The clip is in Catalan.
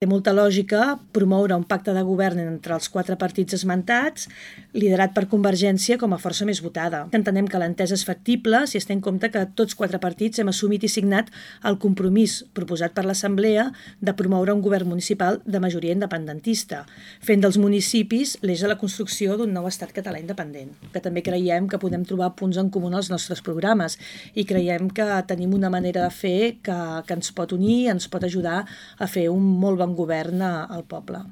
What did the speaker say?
Té molta lògica promoure un pacte de govern entre els 4 partits esmentats, liderat per Convergència com a força més votada. Entenem que l'entesa és factible si es té en compte que tots 4 partits hem assumit i signat el compromís proposat per l'Assemblea de promoure un govern municipal de majoria independentista, fent dels municipis l'eix de la construcció d'un nou estat català independent. Que també creiem que podem trobar punts en comú als nostres programes i creiem que tenim una manera de fer que ens pot unir, ens pot ajudar a fer un molt bon govern al poble.